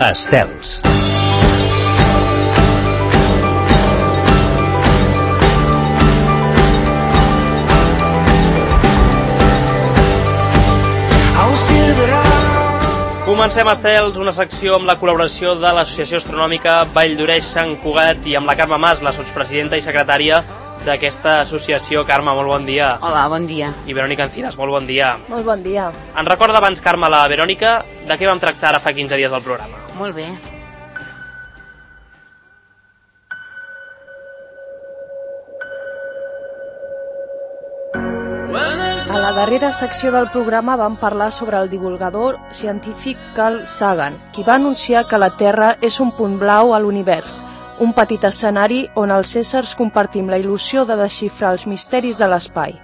Estels. Comencem, Estels, una secció amb la col·laboració de l'Associació Astronòmica Vall d'Oreix-Sant Cugat i amb la Carme Mas, la sotspresidenta i secretària d'aquesta associació. Carme, molt bon dia. Hola, bon dia. I Verònica Encinas, molt bon dia. Molt bon dia. Ens recorda abans, Carme, la Verònica, de què vam tractar ara fa 15 dies al programa? Molt bé. A la darrera secció del programa vam parlar sobre el divulgador científic Carl Sagan, qui va anunciar que la Terra és un punt blau a l'univers, un petit escenari on els éssers compartim la il·lusió de desxifrar els misteris de l'espai.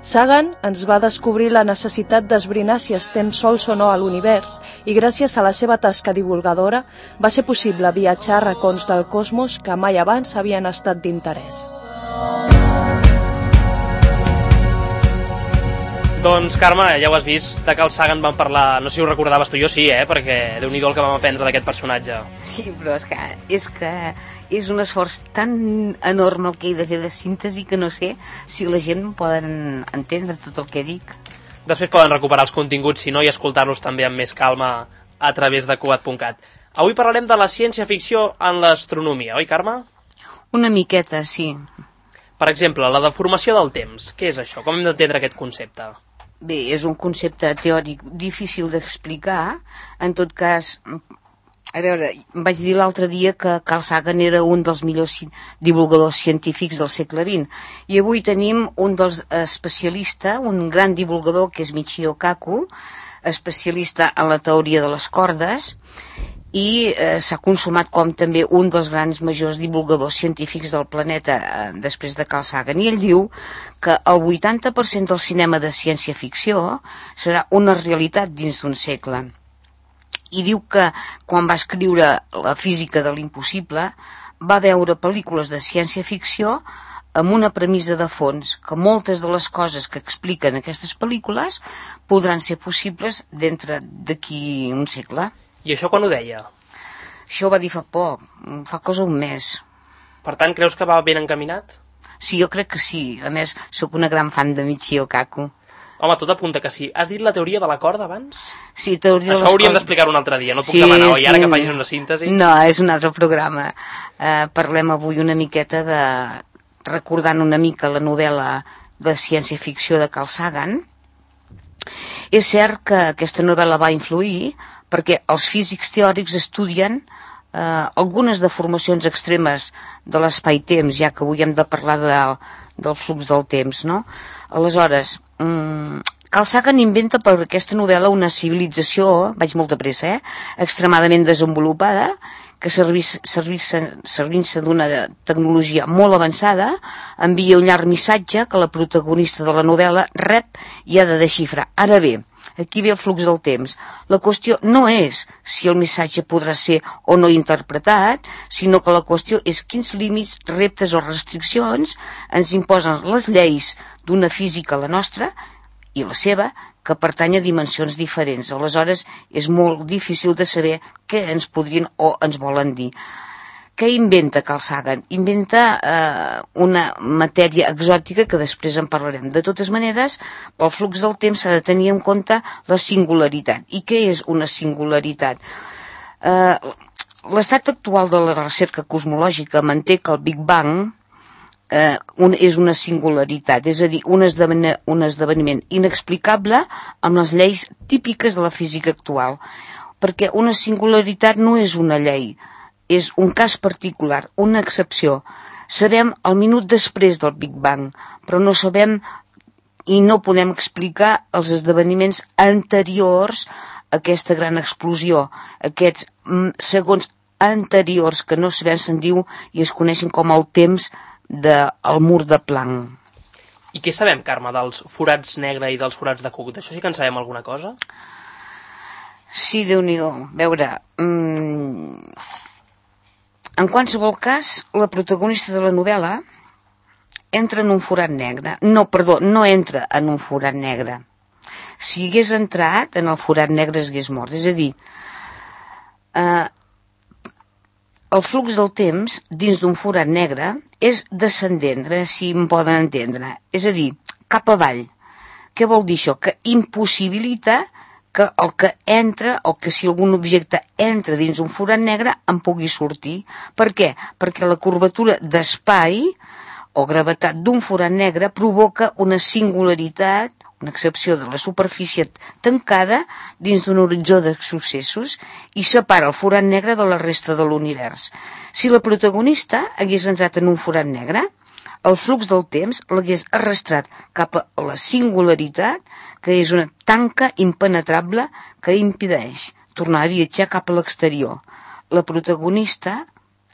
Sagan ens va descobrir la necessitat d'esbrinar si estem sols o no a l'univers i gràcies a la seva tasca divulgadora va ser possible viatjar a racons del cosmos que mai abans havien estat d'interès. Doncs, Carme, ja ho has vist, de Carl Sagan vam parlar, no sé si ho recordaves tu, jo sí, perquè Déu-n'hi-do el que vam aprendre d'aquest personatge. Sí, però és que és un esforç tan enorme el que he de fer de síntesi que no sé si la gent poden entendre tot el que dic. Després poden recuperar els continguts, si no, i escoltar-los també amb més calma a través de Cugat.cat. Avui parlarem de la ciència-ficció en l'astronomia, oi, Carme? Una miqueta, sí. Per exemple, la deformació del temps. Què és això? Com hem d'entendre aquest concepte? Bé, és un concepte teòric difícil d'explicar. En tot cas, a veure, vaig dir l'altre dia que Carl Sagan era un dels millors divulgadors científics del segle XX. I avui tenim un dels especialistes, un gran divulgador, que és Michio Kaku, especialista en la teoria de les cordes, i s'ha consumat com també un dels grans majors divulgadors científics del planeta després de Carl Sagan, i ell diu que el 80% del cinema de ciència-ficció serà una realitat dins d'un segle, i diu que quan va escriure la física de l'impossible va veure pel·lícules de ciència-ficció amb una premissa de fons, que moltes de les coses que expliquen aquestes pel·lícules podran ser possibles d'aquí un segle. I això quan ho deia? Això ho va dir fa poc, fa cosa un mes. Per tant, creus que va ben encaminat? Sí, jo crec que sí. A més, sóc una gran fan de Michio Kaku. Home, tot apunta que sí. Has dit la teoria de la corda abans? Sí, teoria de les cordes. Això hauríem d'explicar-ho un altre dia, no et puc demanar, oi? Ara que facis una síntesi. No, és un altre programa. Parlem avui una miqueta recordant una mica la novel·la de ciència-ficció de Carl Sagan. És cert que aquesta novel·la va influir perquè els físics teòrics estudien algunes deformacions extremes de l'espai-temps, ja que avui hem de parlar del flux del temps, no? Aleshores, Carl Sagan inventa per aquesta novel·la una civilització, vaig molt de pressa, extremadament desenvolupada, que servint-se d'una tecnologia molt avançada, envia un llarg missatge que la protagonista de la novel·la rep i ha de desxifrar. Ara bé, aquí ve el flux del temps. La qüestió no és si el missatge podrà ser o no interpretat, sinó que la qüestió és quins límits, reptes o restriccions ens imposen les lleis d'una física, la nostra, i la seva, que pertany a dimensions diferents. Aleshores, és molt difícil de saber què ens podrien o ens volen dir. Què inventa Carl Sagan? Inventa una matèria exòtica que després en parlarem. De totes maneres, pel flux del temps s'ha de tenir en compte la singularitat. I què és una singularitat? L'estat actual de la recerca cosmològica manté que el Big Bang és una singularitat, és a dir, un esdeveniment inexplicable amb les lleis típiques de la física actual, perquè una singularitat no és una llei, és un cas particular, una excepció. Sabem el minut després del Big Bang, però no sabem i no podem explicar els esdeveniments anteriors a aquesta gran explosió, aquests segons anteriors que no sabem, se'n diu, i es coneixen com el temps del mur de Planck. I què sabem, Carme, dels forats negre i dels forats de Cook? D'això sí que en sabem alguna cosa? Sí, Déu-n'hi-do. A veure, en qualsevol cas, la protagonista de la novel·la entra en un forat negre. No entra en un forat negre. Si hagués entrat en el forat negre hagués mort. És a dir, el flux del temps dins d'un forat negre és descendent, a veure si em poden entendre, és a dir, cap avall. Què vol dir això? Que impossibilita que el que entra, o que si algun objecte entra dins un forat negre en pugui sortir. Per què? Perquè la curvatura d'espai o gravetat d'un forat negre provoca una singularitat, una excepció de la superfície tancada dins d'un horitzó de successos i separa el forat negre de la resta de l'univers. Si la protagonista hagués entrat en un forat negre, el flux del temps l'hagués arrastrat cap a la singularitat, que és una tanca impenetrable que impedeix tornar a viatjar cap a l'exterior. La protagonista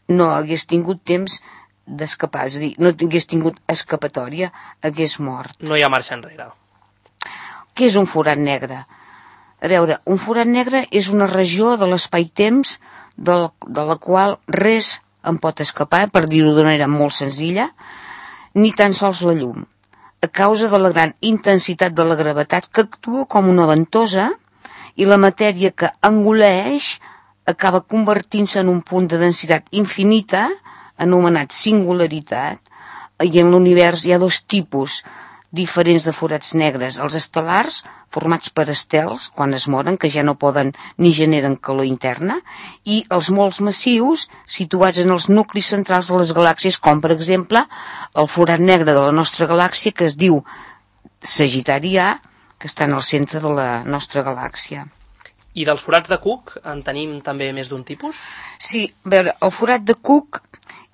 no hagués tingut temps d'escapar, és a dir, no hagués tingut escapatòria, hagués mort. No hi ha marxa enrere. Què és un forat negre? A veure, un forat negre és una regió de l'espai-temps de la qual res en pot escapar, per dir-ho d'una manera molt senzilla, ni tan sols la llum, a causa de la gran intensitat de la gravetat que actua com una ventosa i la matèria que engoleix acaba convertint-se en un punt de densitat infinita, anomenat singularitat, i en l'univers hi ha dos tipus diferents de forats negres, els estel·lars, formats per estels, quan es moren, que ja no poden ni generen calor interna, i els molt massius, situats en els nuclis centrals de les galàxies, com per exemple el forat negre de la nostra galàxia, que es diu Sagitari A, que està en el centre de la nostra galàxia. I dels forats de Cook en tenim també més d'un tipus? Sí, a veure, el forat de Cook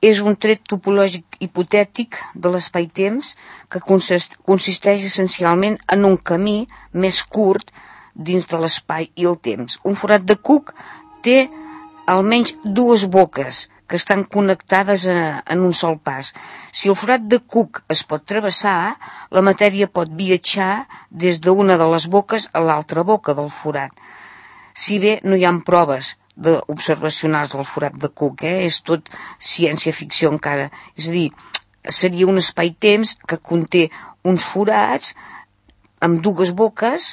és un tret topològic hipotètic de l'espai-temps que consisteix essencialment en un camí més curt dins de l'espai i el temps. Un forat de Cook té almenys dues boques que estan connectades en un sol pas. Si el forat de Cook es pot travessar, la matèria pot viatjar des d'una de les boques a l'altra boca del forat. Si bé no hi ha proves observacionals del forat de Cook, és tot ciència-ficció encara. És a dir, seria un espai-temps que conté uns forats amb dues boques,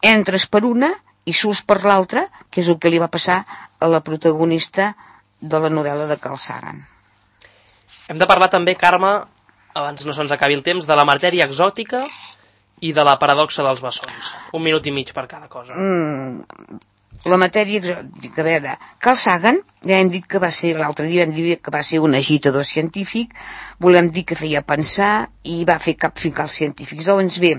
entres per una i surts per l'altra, que és el que li va passar a la protagonista de la novel·la de Carl Sagan. Hem de parlar també, Carme, abans no se'ns acabi el temps, de la matèria exòtica i de la paradoxa dels bessons. 1 minut i mig per cada cosa. La matèria exòtica, a veure, Carl Sagan, ja hem dit que va ser, l'altre dia vam dir que va ser un agitador científic, volem dir que feia pensar i va fer capficar els científics. Doncs bé,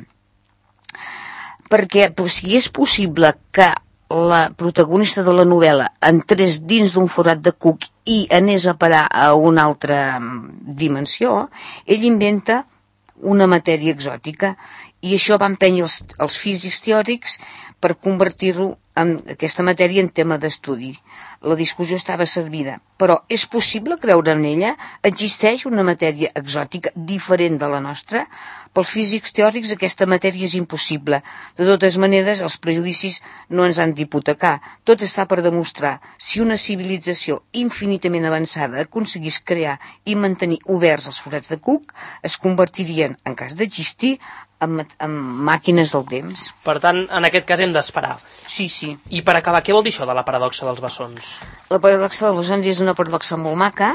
perquè si és possible que la protagonista de la novel·la entrés dins d'un forat de Cook i anés a parar a una altra dimensió, ell inventa una matèria exòtica i això va empènyer els físics teòrics per convertir-ho en aquesta matèria en tema d'estudi. La discussió estava servida, però és possible creure en ella? Existeix una matèria exòtica diferent de la nostra? Pels físics teòrics aquesta matèria és impossible. De totes maneres, els prejudicis no ens han d'hipotecar. Tot està per demostrar. Si una civilització infinitament avançada aconseguís crear i mantenir oberts els forats de Cook, es convertirien, en cas d'existir, en màquines del temps. Per tant, en aquest cas hem d'esperar. Sí, sí. I per acabar, què vol dir això de la paradoxa dels bessons? La paradoxa dels bessons és una paradoxa molt maca,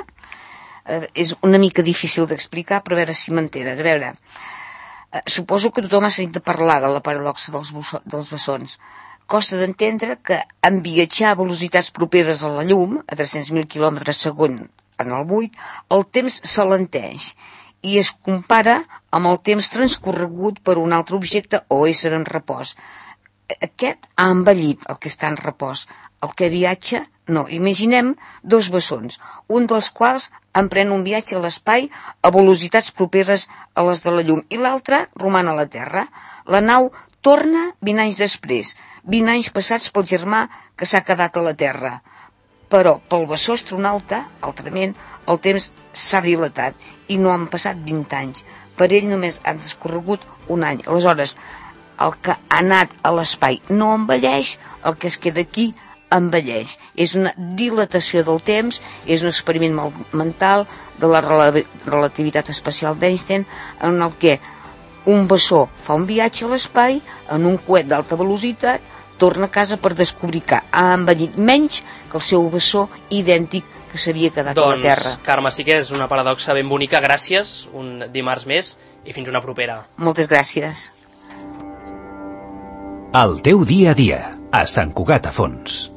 és una mica difícil d'explicar, però a veure si m'entenen. A veure, suposo que tothom ha sentit parlar de la paradoxa dels bessons. Costa d'entendre que en viatjar a velocitats properes a la llum, a 300.000 km segon en el buit, el temps s'alenteix i es compara amb el temps transcorregut per un altre objecte o ésser en repòs. Aquest ha envellit el que està en repòs. El que viatja, no. Imaginem dos bessons, un dels quals emprèn un viatge a l'espai a velocitats properes a les de la llum i l'altre roman a la Terra. La nau torna 20 anys després, 20 anys passats pel germà que s'ha quedat a la Terra. Però pel bessó astronauta, altrament, el temps s'ha dilatat i no han passat 20 anys. Per ell només ha transcorregut un any. Aleshores, el que ha anat a l'espai no envelleix, el que es queda aquí envelleix. És una dilatació del temps, és un experiment mental de la relativitat especial d'Einstein, en el que un bessó fa un viatge a l'espai en un coet d'alta velocitat, torna a casa per descobrir que ha envellit menys que el seu bessó idèntic que s'havia quedat a la Terra. Doncs, Carme, sí que és una paradoxa ben bonica. Gràcies, un dimarts més, i fins una propera. Moltes gràcies. El teu dia a dia, a Sant Cugat a Fons.